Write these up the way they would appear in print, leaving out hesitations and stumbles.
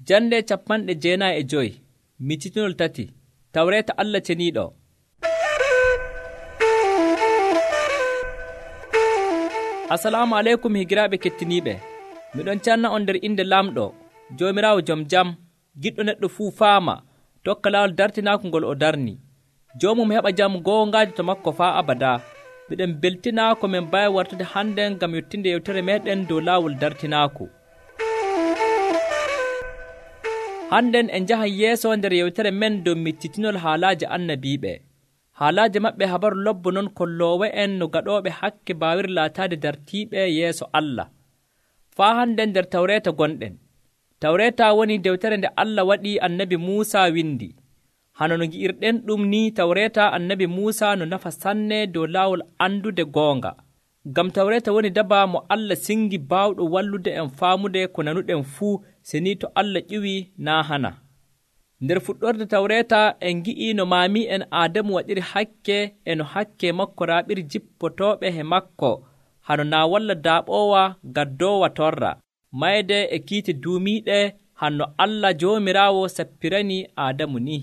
Jande 95 Miccitinol 3 Tawreeta Allah ceniiɗo. Assalamu aleykum higiraaɓe kettiniiɓe. Miɗon canna on nder inde Lamɗo, Joomiraawo jom jam, giɗɗo neɗɗo fuu faama, tokka laawol dartinaako ngol o darni. Joomum heɓa jam goongaaji to makko faa abadaa. Miɗen beltinaa ko min mbawi wartude hannde ngam yottinde yewtere meɗen dow laawol dartinaaku. Hannden en njahan yeeso nder yewtere men dow miccitinol haalaaji annabiiɓe. Haalaaji maɓɓe habaru lobbo non kolloowo en no gaɗooɓe hakke baawir laataade dartiiɓe yeeso Allah. Faa hannden nder Tawreeta gonɗen. Tawreeta woni dewtere nde Allah waɗi annabi Muusaa windi. Hano no ngi'irɗen ɗum ni Tawreeta annabi Muusaa no nafa sanne dow laawol andude goonga. Ngam Tawreeta woni daba mo Allah singi baawɗo wallude en faamude ko nanuɗen fuu seni to Allah ƴiwi naa hana. Nder fuɗɗorde Tawreeta en ngi'i no maami'en Aadamu waɗiri hakke e no hakke makko raaɓiri jippotooɓe he makko hano naa walla daaɓoowa gaddoowa torra mayde e kiite duumiiɗe hanno Allah Joomiraawo sappirani Aadamu ni.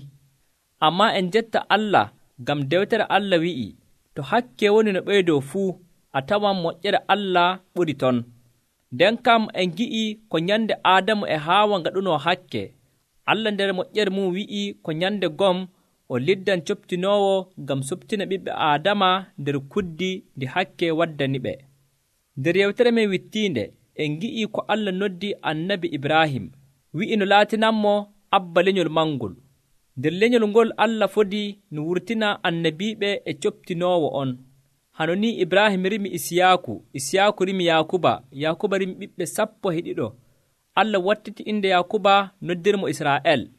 Ammaa en jetta Allah ngam dewtere Allah wi'i to hakke woni no ɓeydoo fuu a tawan moƴƴere Allah ɓuri ton. Nden kam en ngi'i ko nyande Aadamu e Haawa ngaɗunoo hakke. Allah nder moƴƴere mum wi'i ko nyande gom o liddan coptinoowo ngam suptina ɓiɓɓe Aadama nder kuddi ndi hakke waddaniɓe. Nder yewtere men wittiinde en ngi'i ko Allah noddi annabi Ibrahim wi'i no laatinanmo abba lenyol mangol. Nder lenyol ngol Allah fodi no wurtina annabiiɓe e coptinoowo on. Hano ni Ibrahim rimi Isiyaaku rimi Yakuba rimi ɓiɓɓe 12. Allah wattiti inde Yakuba noddirmo Israa'el.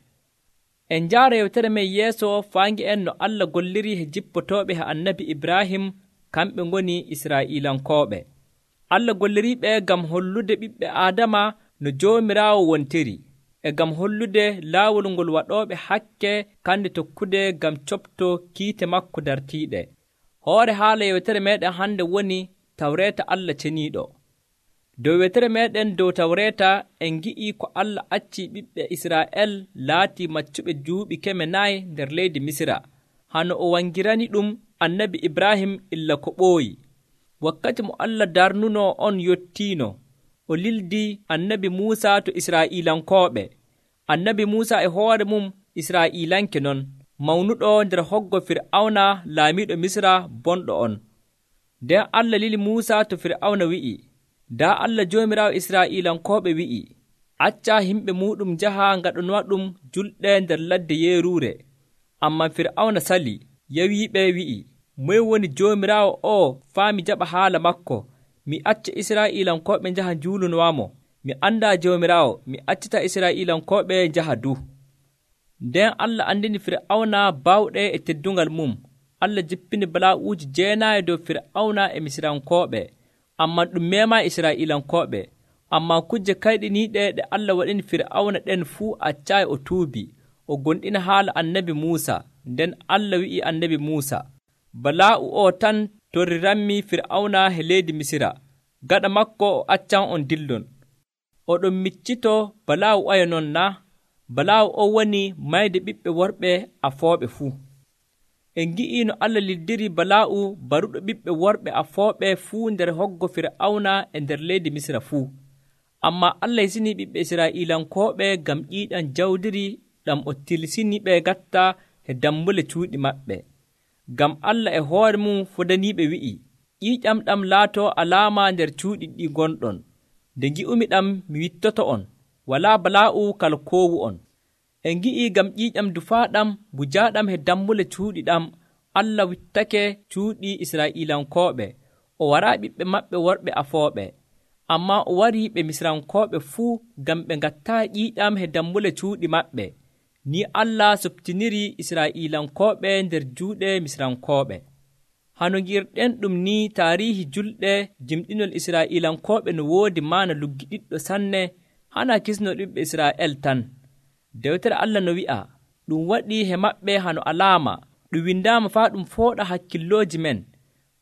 En njaara yewtere men yeeso faangi en no Allah golliri he jippotooɓe he annabi Ibrahim kamɓe ngoni Israa'iilankooɓe. Allah golliriiɓe ngam hollude ɓiɓɓe Aadama no Joomiraawo wontiri e ngam hollude laawol ngol waɗooɓe hakke kande tokkude ngam copto kiite makko dartiiɗe. Hoore haala yewtere meɗen hande woni Tawreeta Allah ceniiɗo. Dow yewtere meɗen dow Tawreeta en ngi'i ko Allah acci ɓiɓɓe Israa'el laati maccuɓe duuɓi 400 nder leydi Misira hano o wangirani ɗum annabi Ibrahim illa ko ɓooyi. Wakkati mo Allah darnunoo on yottiino o lildi annabi Muusaa to Israa'iilankooɓe. Annabi Muusaa e hoore mum Israa'iilanke non mawnuɗo nder hoggo Fir'awna laamiiɗo Misra bonɗo on. Nden Allah lili Muusaa to Fir'awna wi'i daa Allah Joomiraawo Israa'iilankooɓe wi'i acca himɓe muɗum njaha ngaɗanoɗum julɗe nder ladde yeeruure. Ammaa Fir'awna sali yawiiɓe wi'i moye woni Joomiraawo o faami jaɓa haala makko. Mi acca Israa'iilankooɓe njaha njuulunowamo. Mi anndaa Joomiraawo, mi accita Israa'iilankooɓe njaha du. Nden Allah andini Fir'awna baawɗe e teddungal mum. Allah jippini balaa'uuji 9 dow Fir'awna e Misirankooɓe. Ammaa ɗum meemaa Israa'iilankooɓe. Ammaa kujje kayɗiniiɗe ɗe Allah waɗini Fir'awna ɗen fuu accaayi o tuubi o gonɗina haala annabi Muusaa. Nden Allah wi'i annabi Muusaa balaa'u o tan torriranmi Fir'awna he leydi Misira. Gaɗa makko o accan on dillon. Oɗon miccito balaa'u ayo non na? Balaa'u o woni mayde ɓiɓɓe worɓe afooɓe fuu. En ngi'i no Allah liddiri balaa'u baruɗo ɓiɓɓe worɓe afooɓe fuu nder hoggo Fir'awna e nder leydi Misira fuu. Ammaa Allah hisini ɓiɓɓe Israa'iilankooɓe ngam ƴiiƴam jawdiri ɗam o tilsini ɓe gatta he dambule cuuɗi maɓɓe. Ngam Allah e hoore mum fodaniiɓe wi'i ƴiiƴam ɗam laatoo alaama nder cuuɗi ɗi gonɗon. Nde ngi'umi ɗam mi wittoto on, walaa balaa'u kala koowu on. En ngi'i ngam ƴiiƴam dufaaɗam bujaaɗam he dambule cuuɗi ɗam Allah wittake cuuɗi Israa'iilankooɓe o waraa ɓiɓɓe maɓɓe worɓe afooɓe. Ammaa o warii ɓe Misirankooɓe fuu ngam ɓe ngattaa ƴiiƴam he dambule cuuɗi maɓɓe. Ni Allah soptiniri Israa'iilankooɓe nder juuɗe Misirankooɓe. Hano ngi'irɗen ɗum ni taarihi julɗe jimɗinol Israa'iilankooɓe no woodi maana luggiɗiɗɗo sanne hana kisnol ɓiɓɓe Israa'el tan. Dewtere Allah no wi'a ɗum waɗi he maɓɓe hano alaama ɗum windaama faa ɗum fooɗa hakkillooji men.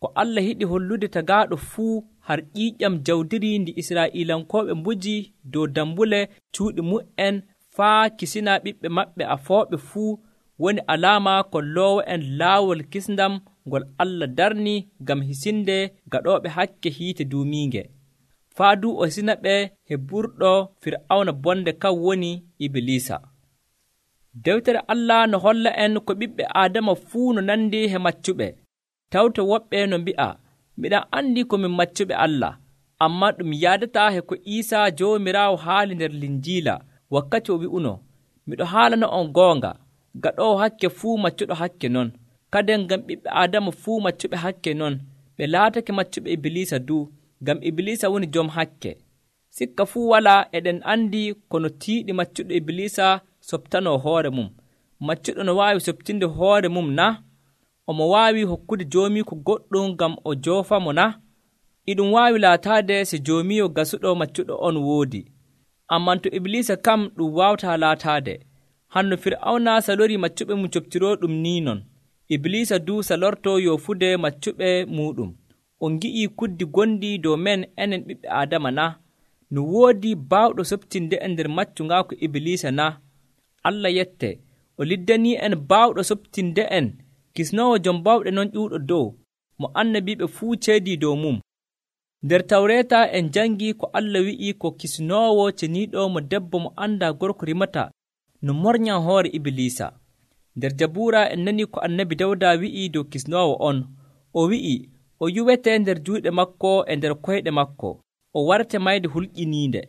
Ko Allah yiɗi hollude tagaaɗo fuu har ƴiiƴam jawdiri ndi Israa'iilankooɓe mbuji dow dambule cuuɗi mu'en faa kisina ɓiɓɓe maɓɓe afooɓe fuu woni alaama kolloowo'en laawol kisndam ngol Allah darni ngam hisinde gaɗooɓe hakke hiite duumiinge. Faa duu o hisina ɓe he ɓurɗo Fir'awna bonde kan woni Ibilisa. Dewtere Allah no holla en ko ɓiɓɓe Aadama fuu no nandi he maccuɓe. Tawte woɓɓe no mbi'a, miɗan anndi ko min maccuɓe Allah, ammaa ɗum yaadataa he ko Iisaa Joomiraawo haali nder Linjiila wakkati o wi'uno, miɗo haalana on goonga, gaɗoowo hakke fuu maccuɗo hakke non. Kaden ngam ɓiɓɓe Aadama fuu maccuɓe hakke non, ɓe laatake maccuɓe Ibilisa duu, ngam Ibilisa woni jom hakke. Sikka fuu walaa eɗen anndi kono tiiɗi maccuɗo Ibilisa soɓtanoo hoore mum. Maccuɗo no waawi soɓtinde hoore mum na? Omo waawi hokkude joomiiko goɗɗum ngam o joofamo na? Iɗum waawi laataade si joomiiwo gasuɗo maccuɗo on woodi. Amman to Ibilisa kam ɗum waawataa laataade. Hanno Fir'awna salorii maccuɓe mum coɓtirooɗum nii non. Ibilisa duu salortoo yoofude maccuɓe muuɗum. On ngi'ii kuddi gonɗi dow men enen ɓiɓɓe Aadama na? No woodi baawɗo soɓtinde en nder maccungaaku Ibilisa na? Allah yette, o liddanii en baawɗo soɓtinde en, kisnoowo jom bawɗe non ƴuuɗo dow, mo annabiiɓe fuu ceedii dow mum. Nder Tawreeta en jangii ko Allah wi'ii ko kisnoowo ceniiɗo mo debbo mo anndaa gorko rimata no mornyan hoore Ibilisa. Nder Jabuura en nanii ko annabi Dawda wi'ii dow kisnoowo on. O wi'i o yuwete nder juuɗe makko e nder koyɗe makko, o warte mayde hulƴiniinde.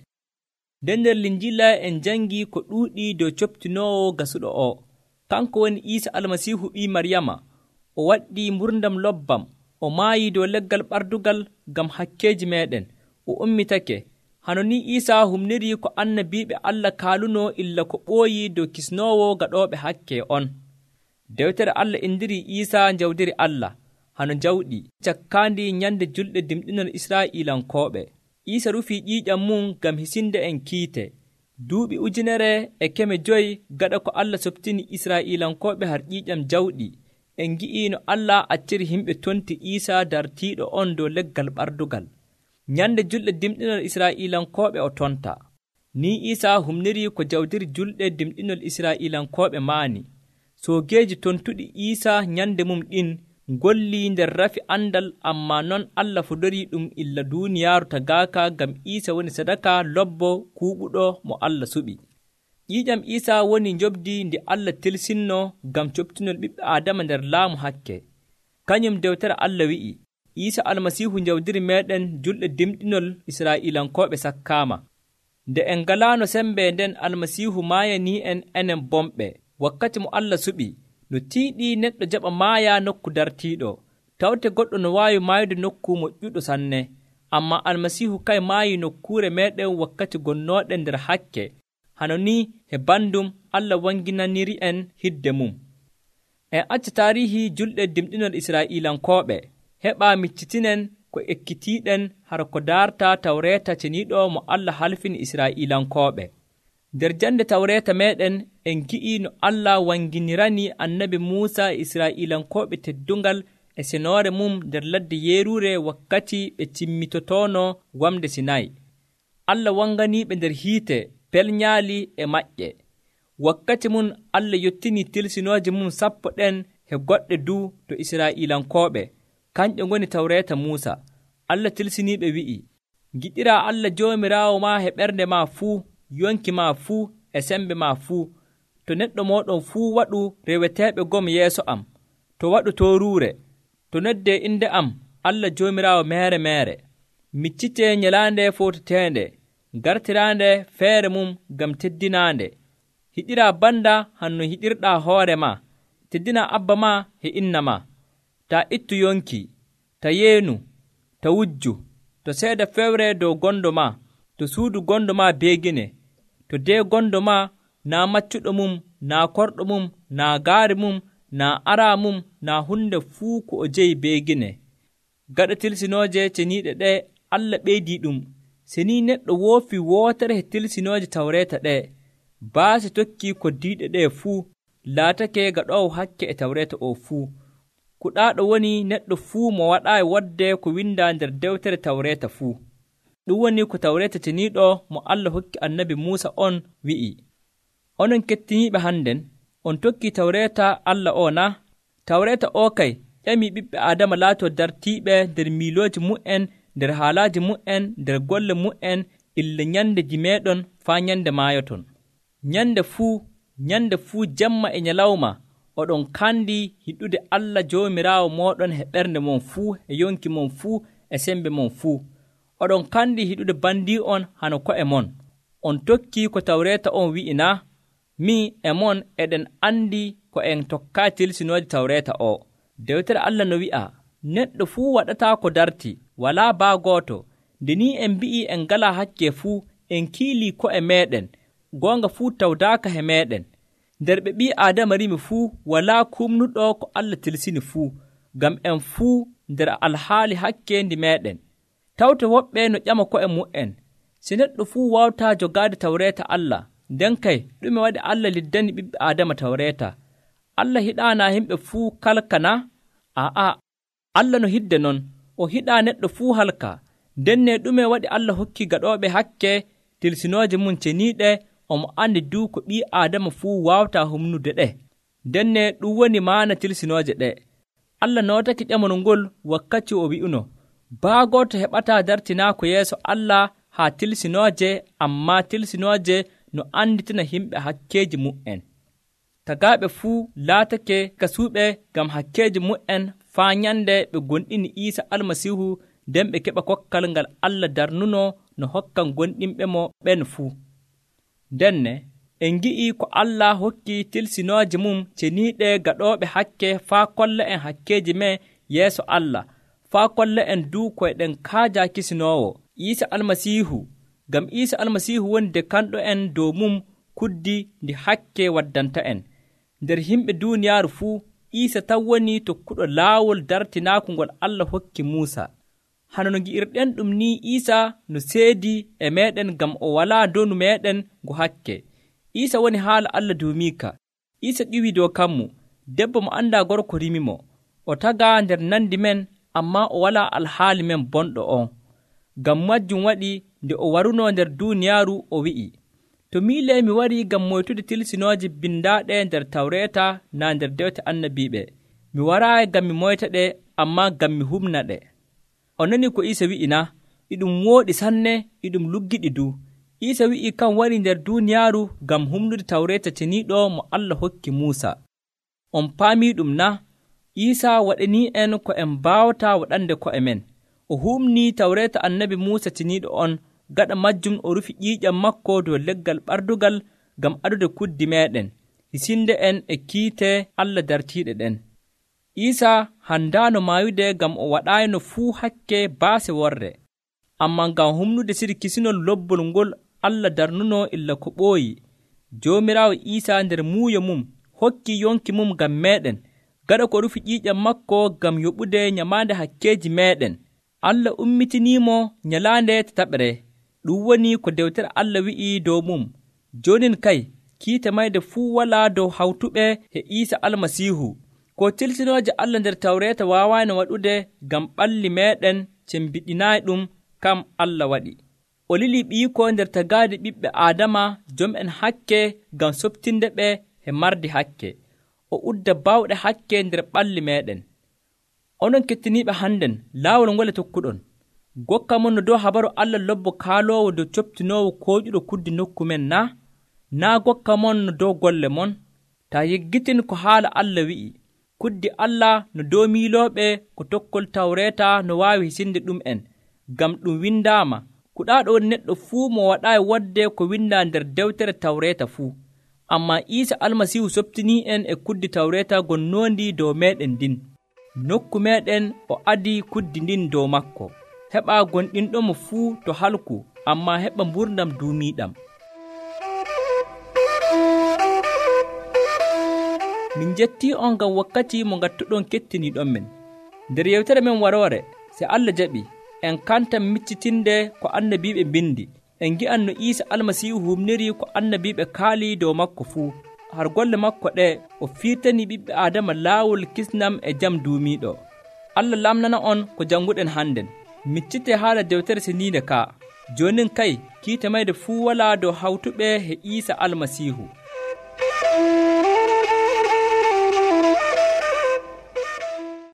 Nden nder Linjiila en jangii ko ɗuuɗii dow coɓtinoowo gasuɗo o. Kanko woni Iisa Almasiihu ɓii Maryama. O waɗɗii mburdam lobbam. O maayii dow leggal ɓardugal ngam hakkeeji meeɗen. O ummitake. Hano ni Iisaa humnirii ko annabiiɓe Allah kaalunoo illa ko ɓooyii dow kisnoowo gaɗooɓe hakke on. Dewtere Allah indirii Iisaa njawdiri Allah. Hano jawɗi cakkaandi nyande julɗe dimɗinol Israa'iilankooɓe. Iisa rufii ƴiiƴam mum ngam hisinde en kiite. Duuɓi 1,500 gaɗa ko Allah soɓtini Israa'iilankooɓe har ƴiiƴam jawɗi. En ngi'ii no Allah acciri himɓe tonti Iisa dartiiɗo on dow leggal ɓardugal. Nyande julɗe dimɗinol Israa'iilankooɓe o tonta. Ni Iisa humnirii ko jawdiri julɗe dimɗinol Israa'iilankooɓe maani. Soogeeji tontuɗi Iisa nyande mum ɗin ngollii nder rafi andal, ammaa non Allah fudorii ɗum illa duuniyaaru tagaaka ngam Iisa woni sadaka lobbo kuuɓuɗo mo Allah suɓi. ƴiiƴam Iisa woni njobdi ndi Allah tilsinno ngam coɓtinol ɓiɓɓe Aadama nder laamu hakke. Kañum dewtere Allah wi'i, Iisa Almasiihu njawdiri meeɗen julɗe dimɗinol Israa'iilankooɓe sakkaama. Nde en ngalaano sembe nden Almasiihu maayanii en enen bomɓe. Wakkati mo Allah suɓi, no tiiɗii neɗɗo jaɓa maaya nokku dartiiɗo. Tawte goɗɗo no waawi maayude nokku moƴƴuɗo sanne. Ammaa Almasiihu kay maayii nokkuure meeɗen wakkati gonnooɗen nder hakke. Hano ni he bandum Allah wanginaniri en hidde mum. En acca taarihi julɗe dimɗinol Israa'iilankooɓe. Heɓaa miccitinen ko ekkitiiɗen har ko daarta Tawreeta ceniiɗo mo Allah halfini Israa'iilankooɓe. Nder jande Tawreeta meeɗen en gi'ii no Allah wanginirani annabi Muusa e Israa'iilankooɓe teddungal e senoore mum nder ladde yeeruure wakkati ɓe cimmitotono wamde Sinay. Allah wanganiiɓe nder hiite pelñaali e maƴƴe. Wakkati mum Allah yottinii tilsinooje mum 10 ɗen he goɗɗe duu to Israa'iilankooɓe. Kanƴe ngoni Tawreeta Muusa. Allah tilsiniiɓe wi'i, giɗiraa Allah Joomiraawo maa he ɓernde maa fuu, yonki maa fuu e sembe maa fuu. To neɗɗo mooɗon fuu waɗu reweteeɓe gom yeeso am, to waɗu tooruure, to noddee inde am Allah Joomiraawo meere meere. Miccitee nyalaande foototeende, gartiraande feere mum ngam teddinaande. Hiɗiraa banda hanno hiɗirɗaa hoore maa, teddinaa abba maa e inna maa. Taa ittu yonki, ta yeenu, ta wujju, to seeda fewre dow gondo maa, to suudu gondo maa beegine, to dee gondo maa naa maccuɗo mum, naa korɗo mum, naa gaari mum, naa araa mum, naa hunde fuu ko o jeyi beegine. Gaɗa tilsinooje ceniiɗe ɗe Allah ɓeydii ɗum. Seni neɗɗo woofi wootere he tilsinooje Tawreeta ɗe, baasi tokkii koddiiɗe ɗe fuu, laatake gaɗoowo hakke e Tawreeta o fuu. Kuɗaaɗo woni neɗɗo fuu mo waɗaayi woɗde ko windaa nder dewtere Tawreeta fuu. Ɗum woni ko Tawreeta ceniiɗo mo Allah hokki annabi Muusa on wi'i. Onon kettiniiɓe hannden, on tokkii tawreeta Allah o na? Tawreeta o kay ƴamii ɓiɓɓe Aadama laatoo dartiiɓe nder miilooji mu'en, nder haalaaji mu'en, nder golle mu'en, illa nyande jimeeɗon faa nyande maayoton. Nyande fuu jemma e nyalawma oɗon kandi hiɗude Allah Joomiraawo mooɗon e ɓernde mon fuu, e yonki mon fuu, e sembe mon fuu. Oɗon kandi hiɗude bandii'on hano ko'e mon. On tokkii ko tawreeta on wi'i na? Min e mon eɗen andi ko en tokkaa tilsinooje tawreeta o. Dewtere Allah no wi'a, neɗɗo fuu waɗataa ko darti, walaa baa gooto. Nde ni en mbi'ii en ngalaa hakke fuu, en kiilii ko'e meeɗen, goonga fuu tawdaaka he meeɗen. Nder ɓe ɓii Aadama rimi fuu, walaa kumnuɗo ko Allah tilsini fuu, ngam en fuu nder alhaali hakkeendi meeɗen. Tawte woɓɓe no ƴama ko'e mu'en, si neɗɗo fuu waawataa jogaade tawreeta Allah, nden kay ɗume waɗi Allah liddani ɓiɓɓe Aadama tawreeta? Allah hiɗaanaa yimɓe fuu kalka na? Aa, Allah no hidde non, o hiɗaa neɗɗo fuu halka. Ndenne ɗume waɗi Allah hokki gaɗooɓe hakke tilsinooje mum ceniiɗe, omo andi duu ko ɓii Aadama fuu waawataa humnude ɗe. Ndenne ɗum woni maana tilsinooje ɗe. Allah nootake ƴamol ngol wakkati o wi'uno, baa gooto heɓataa dartinaako yeeso Allah haa tilsinooje, ammaa tilsinooje no anditina himɓe hakkeeji mu'en. Tagaaɓe fuu laatake kasuuɓe ngam hakkeeji mu'en faa nyande ɓe gonɗini Iisa Almasiihu, nden ɓe keɓa kokkal ngal Allah darnuno no hokkan gonɗinɓe mo ɓen fuu. Ndenne en ngi'ii ko Allah hokki tilsinooje mum ceniiɗe gaɗooɓe hakke faa kolla en hakkeeji men yeeso Allah, faa kolla en duu ko eɗen kaajaa kisinoowo Iisa Almasiihu, ngam Iisa Almasiihu woni de kanɗo en dow mum kuddi ndi hakke waddanta en. Nder yimɓe duuniyaaru fuu, Iisa tan woni tokkuɗo laawol dartinaaku ngol Allah hokki Muusa. Hano no ngi'irɗen ɗum ni, Iisa no seedi e meeɗen ngam o walaa donu meeɗen ngo hakke. Iisa woni haala Allah dow Miika. Iisa ƴiwii dow kammu, debbo mo anndaa gorko rimi mo. O tagaa nder nandi men, ammaa o walaa alhaali men bonɗo on. Ngam majjum waɗi nde o warunoo nder duuniyaaru o wi'i, to miilee mi warii ngam moytude tilsinooje bindaaɗe nder tawreeta naa nder dewte annabiiɓe. Mi waraayi ngam mi moyta ɗe, ammaa ngam mi humna ɗe. O nani ko Iisa wi'i na? Iɗum wooɗi sanne, iɗum luggiɗi du. Iisa wi'i kan wari nder duuniyaaru ngam humnude tawreeta ceniiɗo mo Allah hokki Muusa. On paamii ɗum na? Iisa waɗanii en ko en mbaawataa waɗande ko'e men. O humnii tawreeta annabi Muusa ceniiɗo on, gaɗa majjum o rufi ƴiiƴam makko dow leggal ɓardugal ngam adude kuddi meeɗen, hisinde en e kiite Allah dartiiɗe ɗen. Iisa handaano maayude ngam o waɗaayno fuu hakke baase worre, ammaa ngam humnude siri kisinol lobbol ngol Allah darnuno illa ko ɓooyi. Joomiraawo Iisa nder muuyo mum hokkii yonki mum ngam meeɗen, gaɗa ko rufi ƴiiƴam makko ngam yoɓude nyamaande hakkeeji meeɗen. Allah ummitiniimo nyalaande tataɓre. Ɗum woni ko dewtere Allah wi'i dow mum. Joonin kay kiite mayde fuu walaa dow hawtuɓe e Iisa Almasiihu. Ko tilsinooje Allah nder tawreeta waawaano waɗude ngam ɓalli meeɗen cembiɗinaayi ɗum, kam Allah waɗi. O lilii ɓiiko nder tagaade ɓiɓɓe Aadama jom'en hakke ngam soɓtinde ɓe e mardi hakke. O udda baawɗe hakke nder ɓalli meeɗen. Onon kettiniiɓe hannden, laawol ngole tokkuɗon. Gokka mon no dow habaru Allah lobbo kaaloowo dow coptinoowo kooƴuɗo kuddi nokku men na? Naa gokka mon no dow golle mon? Taa yeggitin ko haala Allah wi'i. Kuddi Allah no dow miilooɓe ko tokkol tawreeta no waawi hisinde ɗum'en, ngam ɗum windaama, kuɗaaɗo woni neɗɗo fuu mo waɗaayi wodde ko windaa nder dewtere tawreeta fuu. Ammaa Iisa Almasiihu soɓtinii en e kuddi tawreeta gonnoondi dow meeɗen ndin. Nokku meeɗen o adii kuddi ndin dow makko. Heɓaa gonɗinɗomo fuu to halku, ammaa heɓa mburdam duumiiɗam. Min jettii on ngam wakkati mo ngattuɗon kettiniiɗon men. Nder yewtere men waroore, se Allah jaɓi, en kantan miccitinde ko annabiiɓe mbindi. En ngi'an no Iisa Almasiihu humniri ko annabiiɓe kaalii dow makko fuu. Har golle makko ɗe o fiirtanii ɓiɓɓe Aadama laawol kisnam e jam duumiiɗo. Allah lamnana on ko jannguɗen hannden. Miccitee haala dewtere seniinde ka. Joonin kay kiite mayde fuu walaa dow hawtuɓe e Iisa Almasiihu.